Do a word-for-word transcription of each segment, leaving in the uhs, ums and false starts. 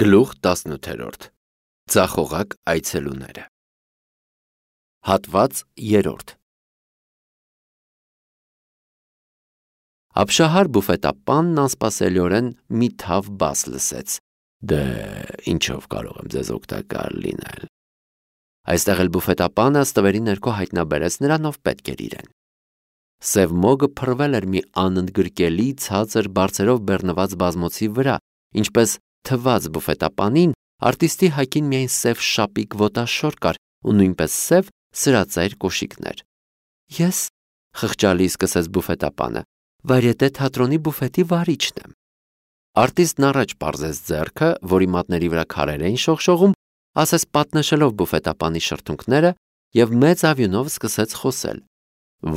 Գլուխ տասնութերորդ Ձախողակ այցելուները Հատված երրորդ Աբշահար բուֆետապանն անսպասելիորեն մի թավ բաս լսեց. Դե, ինչով կարող եմ ձեզ օգտակար լինել։ Այստեղ էլ բուֆետապանը ստվերի ներքո հայտնաբերեց նրան, ով պետք էր իրեն։ Սև մոգը փռվել էր մի անընդգրկելի ցածր բարձրով բեռնված բազմոցի վրա, ինչպես թված բուֆետապանին, արտիստի հագին միայն սև շապիկ ոտաշոր կար ու նույնպես սև սրածայր կոշիկներ։ Ես, խղճալի սկսեց բուֆետապանը, վարյետե թատրոնի բուֆետի վարիչն եմ։ Արտիստն առաջ պարզեց ձեռքը, որի մատների վրա քարեր էին շողշողում, ասես պատնշելով բուֆետապանի շրթունքները և մեծ ավյունով սկսեց խոսել.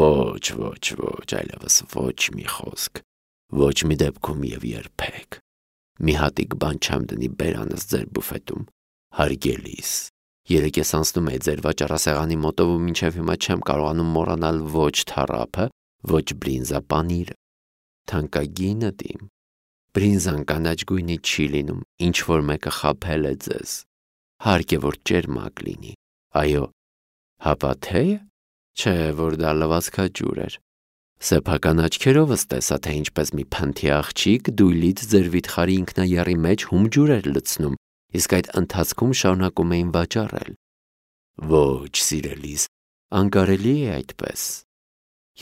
Ոչ, ոչ, ոչ, այլևս ոչ մի խոսք, ոչ մի դեպքում և երբեք։ Մի հատիկ բան չեմ դնի բերանս ձեր բուֆետում, հարգելիս։ Երեկ ես անցնում էի ձեր վաճառասեղանի մոտով ու մինչև հիմա չեմ կարողանում մոռանալ ոչ թառափը, ոչ բրինզապանիրը։ Թանկագինդ իմ, բրինզան կանաչ գույնի չի լինում, ինչ որ մեկը խաբել է ձեզ։ Հարկ է, որ ճերմակ լինի։ Այո, հապա թե՞ը, չէ, որ դա լվացքաջուր էր։ Սեփական աչքերովս տեսա, թե ինչպես մի փնթի աղջիկ դույլից ձեր վիթխարի ինքնաեռի մեջ հում ջուր էր լցնում, իսկ այդ ընթացքում շարունակում էին վաճառել։ Ոչ, սիրելիս, անկարելի է այդպես։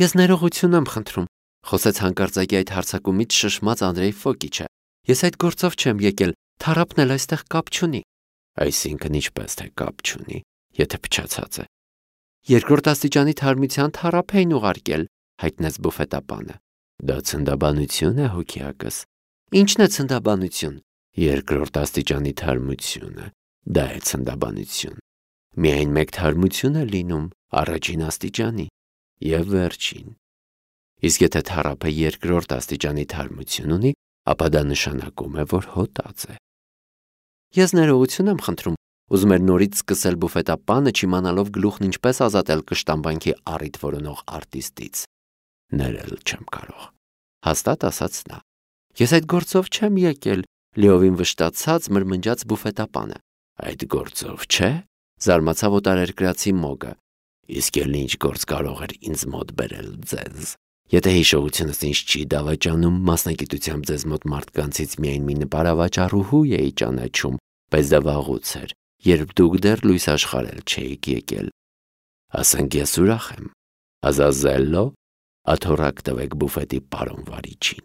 Ես ներողություն եմ խնդրում, խոսեց հանկարծակի այդ հարձակումից շշմած Անդրեյ Ֆոկիչը։ Ես այդ գործով չեմ եկել, թառափն էլ այստեղ կապ չունի։ Այսինքն ինչպես թե կապ չունի, եթե փչացած է։ Երկրորդ աստիճանի թարմության թառափ էին ուղարկել, հայտնեց բուֆետապանը։ Դա ցնդաբանություն է, հոգիակս։ Ինչն է ցնդաբանություն։ Երկրորդ աստիճանի թարմությունը, դա է ցնդաբանություն։ Միայն մեկ թարմություն է լինում, առաջին աստիճանի և վերջին։ Իսկ եթե թառափը երկրորդ աստիճանի թարմություն ունի, ապա դա նշանակում է, որ հոտած է։ Ես ներողություն եմ խնդրում, ուզում էր նորից սկսել բուֆետապանը, չիմանալով գլուխն ինչպես ազատել կշտամբանքի առիթ որոնող արտիստից։ Ներել չեմ կարող, հաստատ ասաց նա։ Ես այդ գործով չեմ եկել, լիովին վշտացած մրմնջաց բուֆետապանը։ Այդ գործով չէ, զարմացավ օտարերկրացի մոգը։ Իսկ էլ ինչ գործ կարող էր ինձ մոտ բերել ձեզ։ Եթե հիշողությունս ինձ չի դավաճանում, մասնագիտությամբ ձեզ մոտ մարդկանցից միայն մի նպարավաճառուհու էի ճանաչում, բայց դա վաղուց էր, երբ դուք դեռ լույս աշխարհել չէիք եկել։ Ասենք ես ուրախ եմ։ Ազազելլո, աթոռակ տվեք բուֆետի պարոն վարիչին։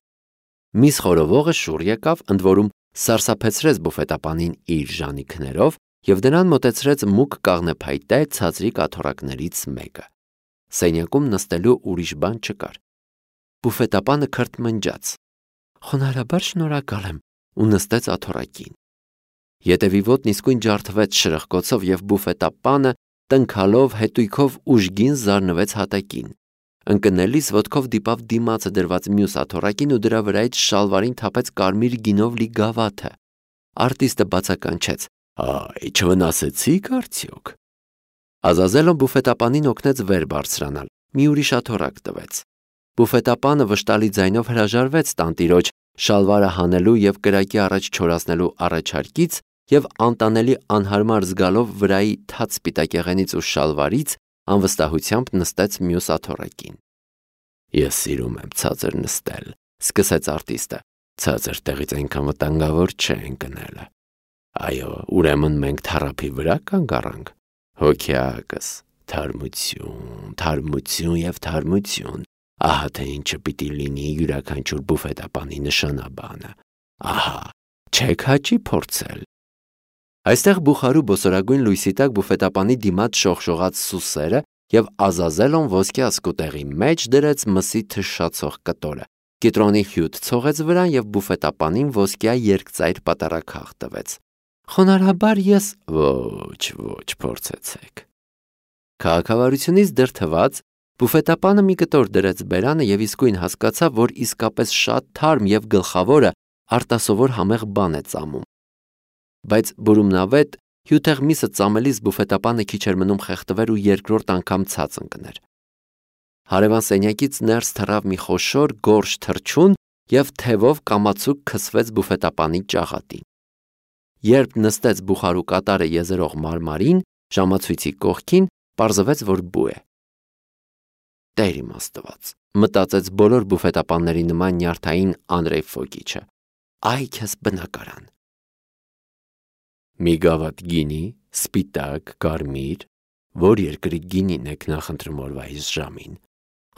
Միս խորովողը շուռ եկավ, ընդ որում սարսափեցրեց բուֆետապանին իր ժանիքներով և նրան մոտեցրեց մուգ կաղնեփայտե ցածրիկ աթոռակներից մեկը։ Սենյակում նստելու ուրիշ բան չկար։ Բուֆետապանը քրթմնջաց։ Խոնարհաբար շնորհակալ եմ ու նստեց աթոռակին։ Ետևի ոտն իսկույն ջարդվեց շրխկոցով և բուֆետապանը տնքալով հետույքով ուժգին զարնվեց հատակին։ Ընկնելիս ոտքով դիպավ դիմացը դրված մյուս աթոռակին ու դրա վրայից շալվարին թափեց կարմիր գինով լի գավաթը։ Արտիստը բացականչեց. Այ, չվնասեցի՞ք արդյոք։ Ազազելոն բուֆետապանին օգնեց վեր բարձրանալ, մի ուրիշ աթոռակ տվեց։ Բուֆետապանը վշտալի ձայնով հրաժարվեց տանտիրոջ շալվարը հանելու և կրակի առաջ չորացնելու առաջարկից և անտանելի անհարմար զգալով վրայի թաց սպիտակեղենից ու շալվարից անվստահությամբ նստեց մյուս աթոռակին։ Ես սիրում եմ ցածր նստել, սկսեց արտիստը։ Ցածր տեղից այնքան վտանգավոր չէ ընկնելը։ Այո, ուրեմն մենք թառափի վրա կանգ առանք։ Հոգիակս, թարմություն, թարմություն և թարմություն։ Ահա թե ինչը պիտի լինի յուրաքանչյուր բուֆետապանի նշանաբանը։ Ահա, չեք հաճի փորձել։ Այստեղ բուխարու բոսորագույն լույսի տակ բուֆետապանի դիմաց շողշողաց սուսերը և Ազազելոն ոսկե ասկուտեղի մեջ դրեց մսի թշշացող կտորը, կիտրոնի հյութ ցողեց վրան և բուֆետապանին ոսկյա երկծայր պատառաքաղ տվեց։ Խոնարհաբար ես ոչ, ոչ, փորձեցեք։ Քաղաքավարությունից դրդված բուֆետապանը մի կտոր դրեց բերանը և իսկույն հասկացավ, որ իսկապես շատ թարմ և գլխավորը արտասովոր համեղ բան է ծամում։ Բայց բուրումնավետ հյութեղ միսը ծամելիս բուֆետապանը քիչ էր մնում խեղդվեր ու երկրորդ անգամ ցած ընկներ։ Հարևան սենյակից ներս թռավ մի խոշոր գորշ թռչուն և թևով կամացուկ քսվեց բուֆետապանի ճաղատին։ երբ նստեց բուխարու կատարը եզերող մարմարին, ժամացույցի կողքին, պարզվեց, որ բու է։ Տեր իմ Աստված, մտածեց բոլոր բուֆետապանների նման նյարդային Անդրեյ Ֆոկիչը, այ քեզ բնակարան։ Մի գավաթ գինի, սպիտակ, կարմիր, որ երկրի գինին եք նախընտրում օրվա այս ժամին։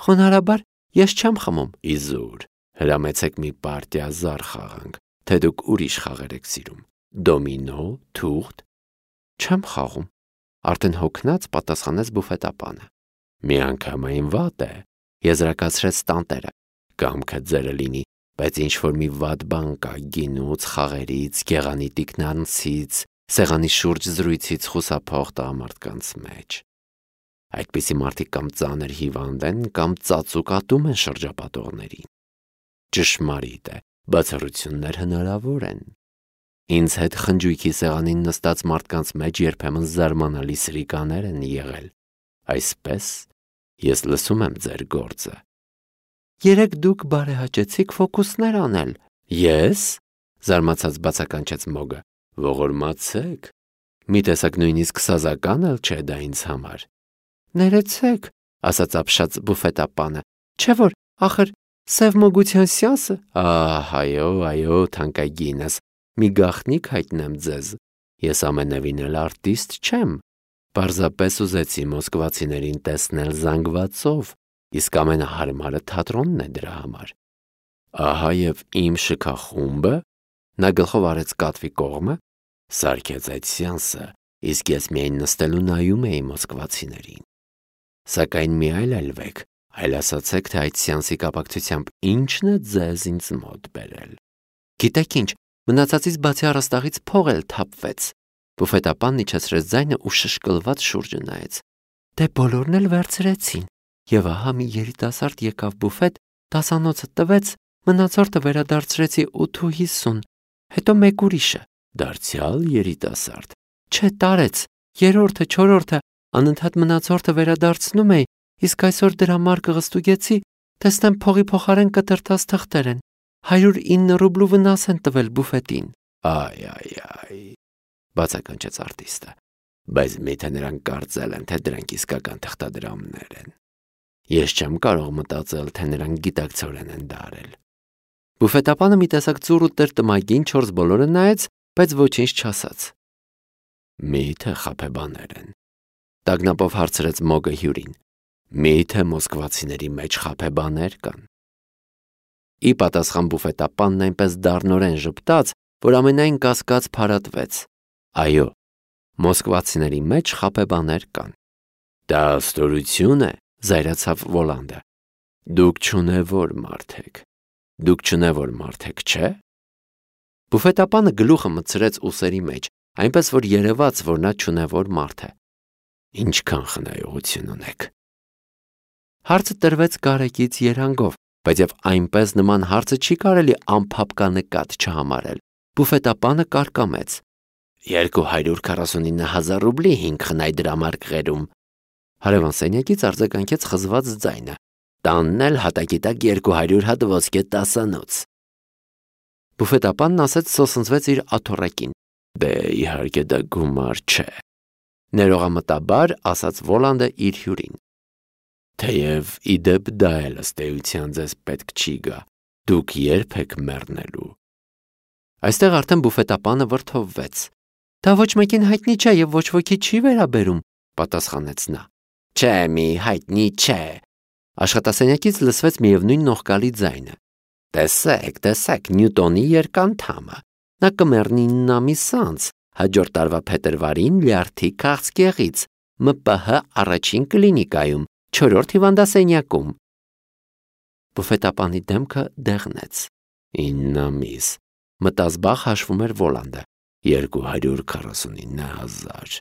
Խոնարհաբար ես չեմ խմում, իզուր, հրամեցեք մի պարտիա զար խաղանք, թե դուք ուրիշ խաղեր եք սիրում։ Դոմինո, թուղթ։ Չեմ խաղում, արդեն հոգնած պատասխանեց բուֆետապանը։ Միանգամայն վատ է, եզրակացրեց տանտերը, կամքը ձերը լինի, բայց ինչ-որ մի վատ բան կա գինուց, խաղերից, գեղանի տիկնանցից, սեղանի շուրջ զրույցից խուսափող տղամարդկանց մեջ։ Այդպիսի մարդիկ կամ ծանր հիվանդ են, կամ ծածուկ ատում են շրջապատողներին։ Ճշմարիտ է, բացառություններ հնարավոր են։ Ինձ հետ խնջույքի սեղանին նստած մարդկանց մեջ երբեմն զարմանալի սրիկաներ են եղել։ Այսպես ես լսում եմ ձեր գործը։ Երեք դուք բարեհաճեցիք ֆոկուսներ անել։ Ես, զարմացած բացականչեց Մոգը, ողորմացեք։ Մի տեսակ նույնիսկ սազական էլ չէ դա ինձ համար։ Ներեցեք, ասաց ապշած բուֆետապանը, չէ որ, ախր, սև մոգության սյանսը։ Ահ, այո, այո, թանկագինս, մի գաղտնիք հայտնեմ ձեզ, ես ամենևին էլ արտիստ չեմ, պարզապես ուզեցի մոսկվացիներին տեսնել զանգվածով, իսկ ամենահարմարը թատրոնն է դրա համար։ Ահա և իմ շքախումբը, նա գլխով արեց կատվի կողմը, սարքեց այդ սյանսը, իսկ ես միայն նստելու նայում էի մոսկվացիներին։ Սակայն մի այլայլվեք, այլ ասացեք, թե այդ սյանսի կապակցությամբ ինչն է ձեզ ինձ մոտ բերել։ Գիտեք ինչ, մնացածից բացի առաստաղից փող էլ թափվեց։ Բուֆետապանն իջեցրեց ձայնը ու շշկլված շուրջը նայեց։ Դե բոլորն էլ վերցրեցին, եւ ահա մի երիտասարդ եկավ բուֆետ, դասանոցը տվեց, մնացորդը վերադարձրեցի ութ ու հիսուն, հետո մեկ ուրիշը, դարձյալ երիտասարդ, չէ տարեց, երրորդը, չորրորդը, անընդհատ մնացորդը վերադարձնում էի, իսկ այսօր դրա մարկը ղստուգեցի, տեսնեմ փողի փոխարեն կտրտած թղթեր են, հարյուր ինը ռուբլու վնաս են տվել բուֆետին։ Այ, այ, այ, բացականչեց արտիստը, բայց միթե նրանք կարծել են, թե դրանք իսկական թղթադրամներ են։ Ես չեմ կարող մտածել, թե նրանք գիտակցորեն են դա արել։ Բուֆետապանը մի տեսակ ծուռ ու տրտմագին չորս բոլորը նայեց, բայց ոչինչ չասաց։ Միթե խաբեբաներ են, տագնապով հարցրեց Մոգը հյուրին։ Միթե մոսկվացիների մեջ խաբեբաներ կան։ Ի պատասխան բուֆետապանն այնպես դառնորեն ժպտաց, որ ամենայն կասկած փարատվեց։ Այո, մոսկվացիների մեջ խաբեբաներ կան։ Դա ստորություն է, զայրացավ Վոլանդը։ Դուք չունևոր մարդ եք։ Դուք չունևոր մարդ եք, չէ՞։ Բուֆետապանը գլուխը մտցրեց ուսերի մեջ, այնպես որ երևաց, որ նա չունևոր մարդ է։ Ինչքան խնայողություն ունեք։ Հարցը տրվեց կարեկից երանգով, բայց եւ այնպես նման հարցը չի կարելի անփափկանկատ չհամարել։ Բուֆետապանը կարկամեց. երկու հարյուր քառասունինը հազար ռուբլի հինգ խնայ դրամարկղերում։ Հարևան սենյակից արձագանքեց խզված ձայնը. տանն էլ հատակի տակ երկու հարյուր հատ ոսկե տասանոց։ Բուֆետապանն ասեց սոսնձվեց իր աթոռակին. Դե իհարկե դա գումար չէ։ Ներողամտաբար ասաց Վոլանդը իր հյուրին։ Թեև իդեպ դա էլ ըստ էության ձեզ պետք չի գա, դուք երբ եք մեռնելու։ Այստեղ արդեն բուֆետապանը վրդովվեց։ Դա ոչ մեկին հայտնի չէ եւ ոչ ոքի չի վերաբերում, պատասխանեց նա։ Չէ, մի հայտնի չէ։ Աշխատասենյակից լսվեց միևնույն նողկալի ձայնը։ Տեսեք, տեսեք, Նյուտոնի երկանդամը։ Նա կմեռնի ինը ամիս անց, հաջորդ տարվա փետրվարին լյարդի քաղցկեղից, Մ Պ Հ առաջին կլինիկայում, չորրորդ հիվանդասենյակում։ Բուֆետապանի դեմքը դեղնեց։ ինը ամիս, մտազբաղ հաշվում էր Վոլանդը, երկու հարյուր քառասունինը հազար,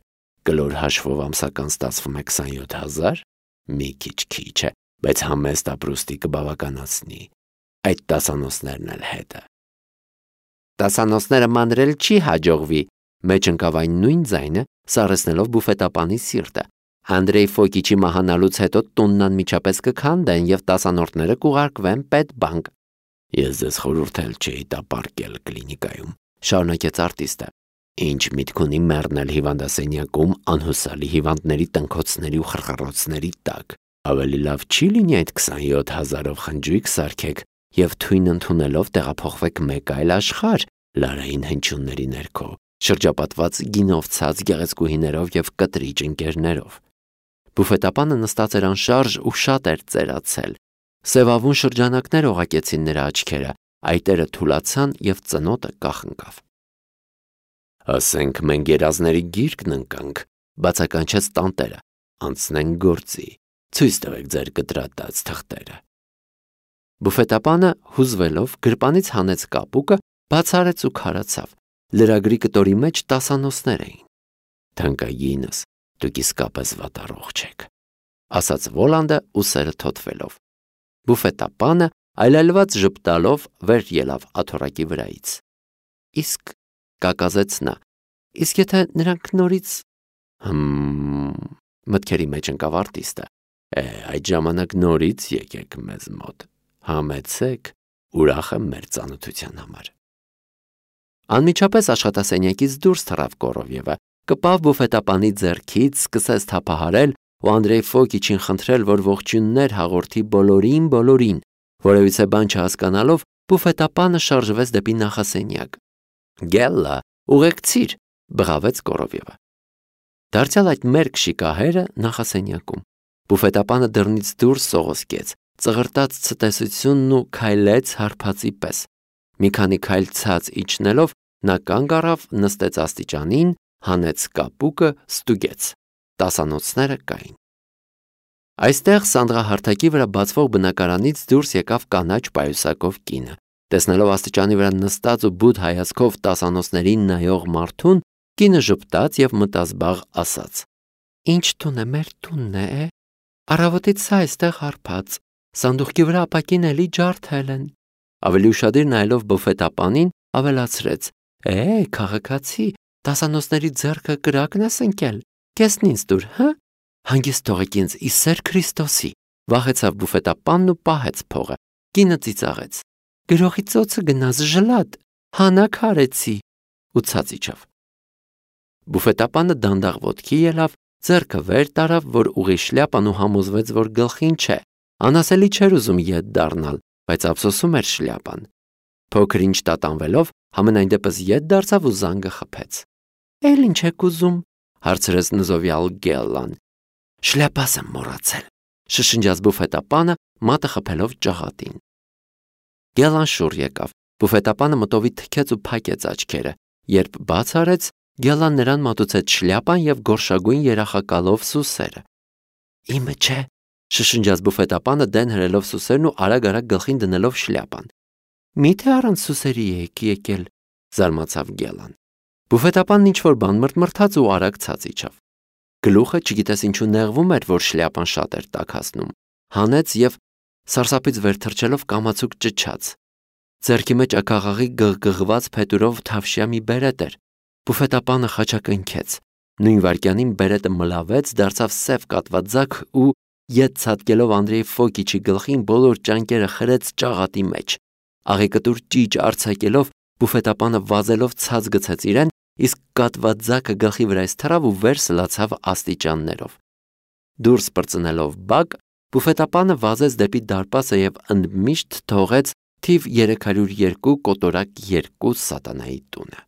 կլոր հաշվով ամսական ստացվում է քսանյոթ հազար, մի քիչ քիչ է, բայց համեստ ապրուստի կբավականացնի, այդ տասանոցներն էլ հետը։ Տասանոցները մանրել չի հաջողվի, մեջ ընկավ այն նույն ձայնը, սառեցնելով բուֆետապանի սիրտը։ Անդրեյ Ֆոկիչի մահանալուց հետո տունն անմիջապես կքանդեն եւ տասանորդները կուղարկվեն պետբանկ։ Ես ձեզ խորհուրդ էլ չէի տա պարկել կլինիկայում, շարունակեց արտիստը։ Ինչ միտք ունի մեռնել հիվանդասենյակում անհուսալի հիվանդների տնքոցների ու խռխռոցների տակ։ Ավելի լավ չի լինի այդ քսանյոթ հազարով խնջույք սարքեք և թույն ընդունելով տեղափոխվեք մեկ այլ աշխարհ լարային հնչյունների ներքո, շրջապատված գինով ցած գեղեցկուհիներով և կտրիճ ընկերներով։ Բուֆետապանը նստած էր անշարժ ու շատ էր ծերացել։ Սևավուն շրջանակներ օղակեցին նրա աչքերը, այտերը թուլացան և ծնոտը կախնկավ։ «Ասենք մենք երազների գիրկն ընկանք», բացականչեց տանտերը, «անցնենք գործի, ցույց տվեք ձեր կտրատած թղթերը»։ Բուֆետապանը հուզվելով գրպանից հանեց կապուկը, բացարեց ու քարացավ։ Լրագրի կտորի մեջ տասանոցներ էին։ «Թանկագինս, դուք իսկապես վատառողջ եք», ասաց Վոլանդը ուսերը թոթվելով։ Բուֆետապանը այլայլված ժպտալով վեր ելավ աթոռակի վրայից։ Իսկ կակազեց նա, իսկ եթե նրանք նորից… Հմ… մտքերի մեջ ընկավ արտիստը։ Է, այդ ժամանակ նորից եկեք մեզ մոտ, համեցեք, ուրախ եմ մեր ծանոթության համար։ Անմիջապես աշխատասենյակից դուրս թռավ Կորովյևը, կպավ բուֆետապանի ձեռքից, սկսեց թափահարել ու Անդրեյ Ֆոկիչին խնդրել, որ ողջույններ հաղորդի բոլորին, բոլորին։ Որևիցե բան չհասկանալով, բուֆետապանը շարժվեց դեպի նախասենյակ։ Գելլա, ուղեկցիր, բղավեց Կորովյևը։ Դարձյալ այդ մերկ շիկահերը նախասենյակում։ Բուֆետապանը դռնից դուրս սողոսկեց, ծղրտաց ցտեսությունն ու քայլեց հարբածի պես։ Մի քանի քայլ ցած իջնելով, նա կանգ առավ, նստեց աստիճանին, հանեց կապուկը, ստուգեց։ Տասանոցները կային։ Այստեղ սանդղահարթակի վրա բացվող բնակարանից դուրս եկավ կանաչ պայուսակով կինը։ Տեսնելով աստիճանի վրա նստած ու բութ հայացքով տասանոցներին նայող մարդուն, կինը ժպտաց և մտազբաղ ասաց. «Ինչ տուն է, մեր տունն է, առավոտից սա այստեղ հարբած, սանդուղքի վրա ապակին էլի ջարդել են»։ Ավելի ուշադիր նայելով բուֆետապանին, ավելացրեց. «Է, քաղաքացի, տասանոցների ձեռքը կրակն ես ընկել, կեսն ինձ տուր, հը, հանգիստ թողեք ինձ, ի սեր Քրիստոսի»։ Վախեցավ բուֆետապանն ու պահեց փողը։ Կինը ծիծաղեց. «Գրողի ծոցը գնաց, ժլատ, հանակ հարեցի» ու ցած իջավ։ Բուֆետապանը դանդաղ ոտքի ելավ, ձեռքը վեր տարավ, որ ուղի շլյապան ու համոզվեց, որ գլխին չէ։ Անասելի չէր ուզում ետ դառնալ, բայց ափսոսում էր շլյապան։ Փոքր-ինչ տատանվելով, համենայն դեպս ետ դարձավ ու զանգը խփեց։ «Էլ ինչ եք ուզում», հարցրեց նզովյալ Գելլան։ «Շլյապաս եմ մոռացել», շշնջաց բուֆետապանը, մատը խփելով ճաղատին։ Գելլան շուռ եկավ։ Բուֆետապանը մտովի թքեց ու փակեց աչքերը։ Երբ բաց արեց, Գելլան նրան մատուցեց շլյապան և գորշագույն երախակալով սուսերը։ «Իմը չէ», շշնջաց բուֆետապանը դեն հրելով սուսերն ու արագ-արագ գլխին դնելով շլյապան։ «Մի՞թե առանց սուսերի եք եկել», զարմացավ Գելլան։ Բուֆետապանն ինչ-որ բան մրթմրթաց ու արագ ցած իջավ։ Գլուխը չգիտես ինչու նեղվում էր, որ շլյապան շատ էր տաքացնում։ Հանեց և սարսափից վեր թռչելով կամացուկ ճչաց։ Ձեռքի մեջ ակաղաղի գղգղված փետուրով թավշյա մի բերետ էր։ Բուֆետապանը խաչակնքեց։ Նույն վայրկյանին բերետը մլավեց, դարձավ սև կատվաձագ ու, ետ ցատկելով Անդրեյ Ֆոկիչի գլխին, բոլոր ճանկերը խրեց ճաղատի մեջ։ Աղեկտուր ճիճ արձակելով, բուֆետապանը վազելով ցած գցեց իրեն, իսկ կատվաձագը գլխի վրայից թռավ ու վեր սլացավ աստիճաններով։ Դուրս պրծնելով բակ, բուֆետապանը վազեց դեպի դարպասը և ընդմիշտ թողեց թիվ երեք հարյուր երկու կոտորակ երկու սատանայի տունը։